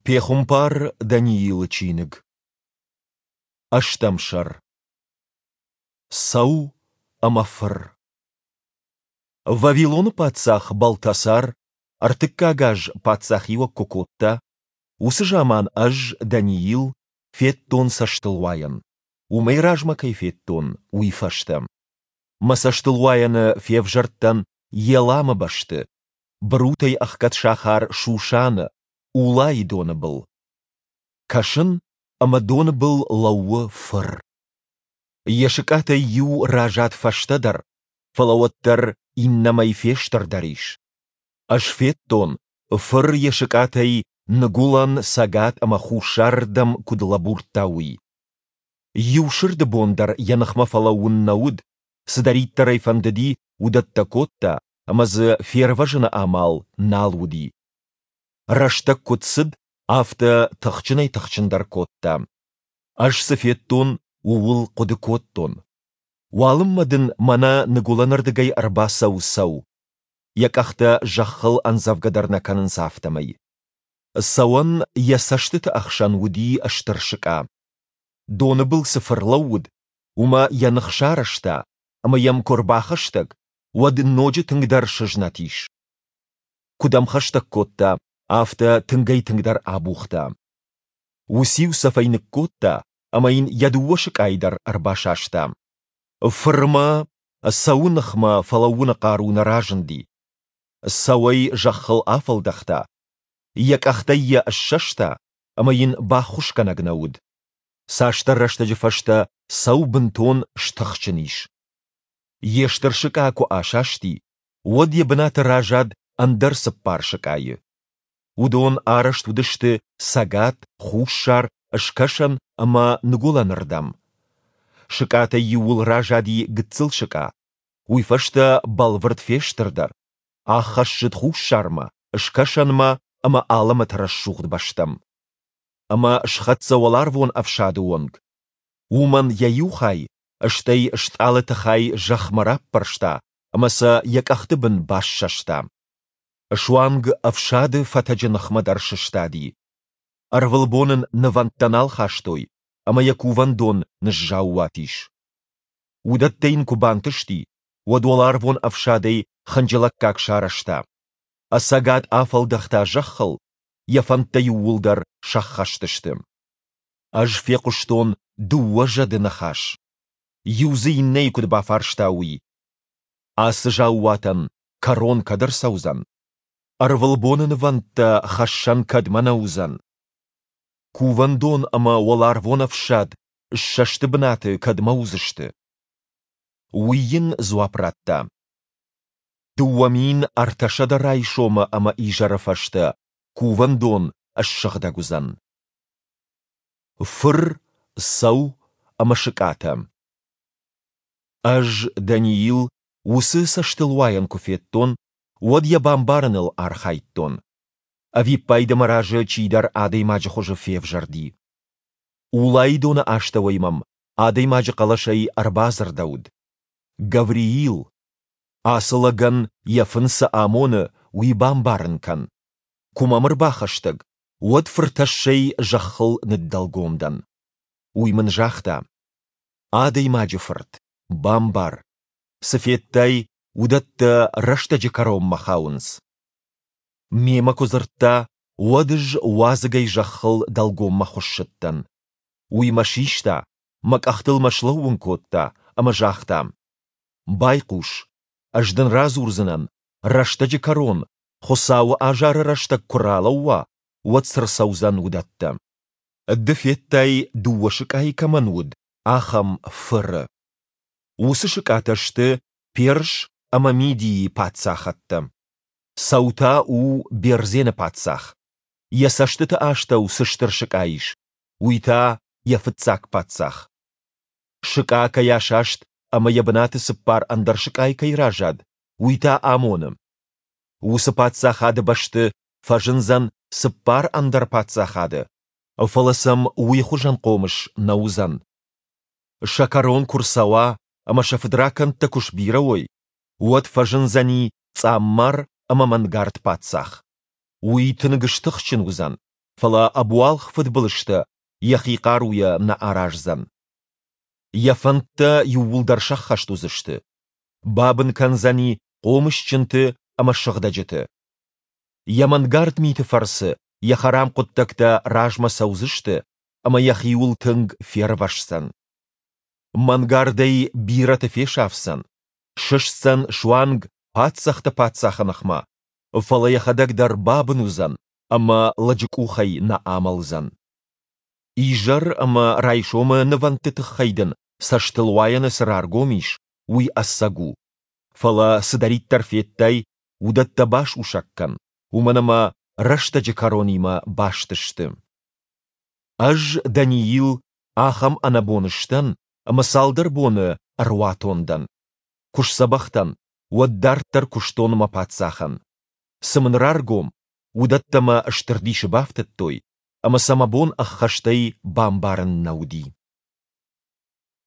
Пехуымпар Даниилы чиныг. Ӕстӕм сӕр. Цӕу ӕмӕ фыр. Вавилоны паддзах Балтасар ӕртыккаг аз паддзахиуӕг куы кодта, уыцы заман ӕз, Даниил, федтон цӕстылуайӕн, уымӕй размӕ кӕй федтон, уый фӕстӕ. Мӕ цӕстылуайӕны февзӕрдтӕн Еламы бӕсты, бырутӕй ӕхгӕд сахар Шушаны, Улайы доны был. Кӕсын, ӕмӕ доны был лӕууы фыр. Йӕ сыкъатӕй иу разад фӕстӕдӕр, фӕлӕ уӕддӕр иннӕмӕй фестырдӕр ис. Ӕз федтон, фыр йӕ сыкъатӕй ныгуылӕн, цӕгат ӕмӕ хуссарырдӕм куыд лӕбурдта, уый. Иу сырды бон дӕр йӕ ныхмӕ фӕлӕууын нӕ уыд, цыдӕриддӕр ӕй фӕндыди, уыдӕттӕ кодта, ӕмӕ дзы фервӕзыны амал нал уыди. Рӕстӕг куыд цыд, афтӕ тыхджынӕй-тыхджындӕр кодта. Ӕз цы федтон, ууыл хъуыды кодтон. Уалынмӕ дын мӕнӕ ныгуылӕнырдыгӕй ӕрбацӕуы цӕу. Йӕ къӕхтӕ зӕххыл ӕндзӕвгӕ дӕр нӕ кӕнынц, афтӕмӕй. Цӕуӕн йӕ цӕстыты ӕхсӕн уыди стыр сыкъа. Доны был цы фыр лӕууыд, уымӕ йӕ ных сарӕзта, ӕмӕ йӕм куы ӕрбахӕстӕг, уӕд ноджы тынгдӕр сызнӕт ис. Куыд ӕм хӕстӕг кодта, афтӕ тынгӕй-тынгдӕр абухта. Уыциу цӕф ӕй ныккодта ӕмӕ йын йӕ дыууӕ сыкъайы дӕр ӕрбасаста. Фырмӕ цӕуы ныхмӕ фӕлӕууыны хъару нӕ разынди. Цӕуӕй зӕххыл афӕлдӕхта, йӕ къӕхтӕй йӕ ссӕста ӕмӕ йын баххуысгӕнӕг нӕ уыд. Цасдӕр рӕстӕджы фӕстӕ цӕу бынтон стыхджын ис. Йе стыр сыкъа куы асасти, уӕд йӕ бынаты разад ӕндӕр цыппар сыкъайы. Уыдон арӕзт уыдысты цӕгат, хуссар, скӕсӕн ӕмӕ ныгуылӕнырдӕм. Сыкъатӕй иуыл разади гыццыл сыкъа, уый фӕстӕ бӕлвырд фестырдӕр, аххӕссыд хуссармӕ, скӕсӕнмӕ ӕмӕ алӕмӕты рӕсугъд бӕстӕм. Ӕмӕ схӕццӕ уӕларвон ӕфсады онг. Уымӕн йӕ иу хай, стӕй стъалыты хай зӕхмӕ раппӕрста ӕмӕ сӕ йӕ къӕхты бын бассӕста. Суанг ӕфсады фӕтӕджы ныхмӕ дӕр сыстади. Ӕрвылбон ын нывӕндтӕ нал хастой, ӕмӕ йӕ кувӕндон ныззаууат ис. Уыдӕттӕ йын куы бантысти, уӕд уӕларвон ӕфсадӕй хынджылӕггаг сарӕзта. Ӕцӕгад афӕлдӕхта зӕххыл, йӕ фӕндтӕ иууылдӕр сӕххӕст сты. Ӕз фехъуыстон дыууӕ зӕды ныхас. Иу дзы иннӕйы куыд бафарста, уый. Ацы заууатӕн кӕрон кӕд ӕрцӕудзӕн? Ӕрвылбоны нывӕндтӕ хӕссӕн кӕдмӕ нӕ уыдзӕн? Кувӕндон ӕмӕ уӕларвон ӕфсад ссӕсты бынаты кӕдмӕ уыдзысты? Уый йын дзуапп радта: 2300 райсомы ӕмӕ изӕры фӕстӕ кувӕндон ссыгъдӕг уыдзӕн. Фыр, цӕу ӕмӕ сыкъатӕ. Ӕз, Даниил, уыцы цӕстылуайӕн куы федтон, уӕд йӕ бамбарыныл архайдтон. Ӕвиппайды мӕ разы чидӕр адӕймаджы хуызы февзӕрди. Улайы доны астӕуӕй мӕм адӕймаджы хъӕлӕсӕй ӕрбадзырдӕуыд: Гавриил! Ацы лӕгӕн йӕ фын цы амоны, уый бамбарын кӕн. Куы мӕм ӕрбахӕстӕг, уӕд фыртӕссӕй зӕххыл ныддӕлгом дӕн. Уый мын загъта: Адӕймаджы фырт, бамбар, цы федтай, уыдӕттӕ рӕстӕджы кӕронмӕ хауынц. Мемӕ куы дзырдта, уӕд ӕз уадзыгӕй зӕххыл дӕлгоммӕ хуыссыдтӕн. Уый мӕ систа, мӕ къӕхтыл мӕ слӕууын кодта ӕмӕ загъта: Байхъус, ӕз дын радзурдзынӕн, рӕстӕджы кӕрон, Хуыцауы азары рӕстӕг куы ралӕууа, уӕд цы рцӕудзӕн, уыдӕттӕ. Ды федтай, дыууӕ сыкъайы кӕмӕн уыд, ахӕм фыры. Уыцы сыкъатӕ сты Перс ӕмӕ Мидийы паддзахӕдтӕ. Цӕу та у Бердзены паддзах. Йӕ цӕстыты астӕу цы стыр сыкъа ис, уый та йӕ фыццаг паддзах. Сыкъа кӕй асаст ӕмӕ йӕ бынаты цыппар ӕндӕр сыкъайы кӕй разад, уый та амоны, уыцы паддзахады бӕсты фӕзындзӕн цыппар ӕндӕр паддзахады, фӕлӕ сӕм уый хуызӕн хъомыс нӕ уыдзӕн. Сӕ кӕрон куы рцӕуа ӕмӕ сӕ фыдракӕндтӕ куы сбирӕ уой, уӕд фӕзындзӕни цъаммар ӕмӕ мӕнгард паддзах. Уый тынг стыхджын уыдзӕн. Фӕлӕ ӕбуалгъ фыдбылызтӕ йӕхи хъаруйӕ нӕ араздзӕн. Йӕ фӕндтӕ иууылдӕр сӕххӕст уыдзысты. Бабын кӕндзӕни хъомысджынты ӕмӕ сыгъдӕджыты. Йӕ мӕнгард миты фӕрцы йӕ хӕрам хъуыддӕгтӕ размӕ цӕудзысты ӕмӕ йӕхиуыл тынг фервӕсдзӕн. Мӕнгардӕй бирӕты фесафдзӕн, сыстдзӕн суанг паддзӕхты паддзахы ныхмӕ, фӕлӕ йӕхӕдӕг дӕр бабын уыдзӕн ӕмӕ лӕджы къухӕй нӕ амӕлдзӕн. Изӕр ӕмӕ райсомы нывӕндты тыххӕй дын цӕстылуайӕны цы раргом ис, уый ӕцӕг у. Фӕлӕ цыдӕриддӕр федтай, уыдӕттӕ басусӕг кӕн, уымӕн ӕмӕ рӕстӕджы кӕронимӕ баст сты. Ӕз, Даниил, ахӕм ӕнӕбон сдӕн, ӕмӕ цалдӕр боны ӕруатон дӕн. Куы сдзӕбӕх дӕн, уӕд дарддӕр куыстон мӕ паддзахӕн. Цы мын раргом, уыдӕттӕ мӕ стыр дисы бафтыдтой, ӕмӕ сӕ мӕ бон ӕххӕстӕй бамбарын нӕ уыди.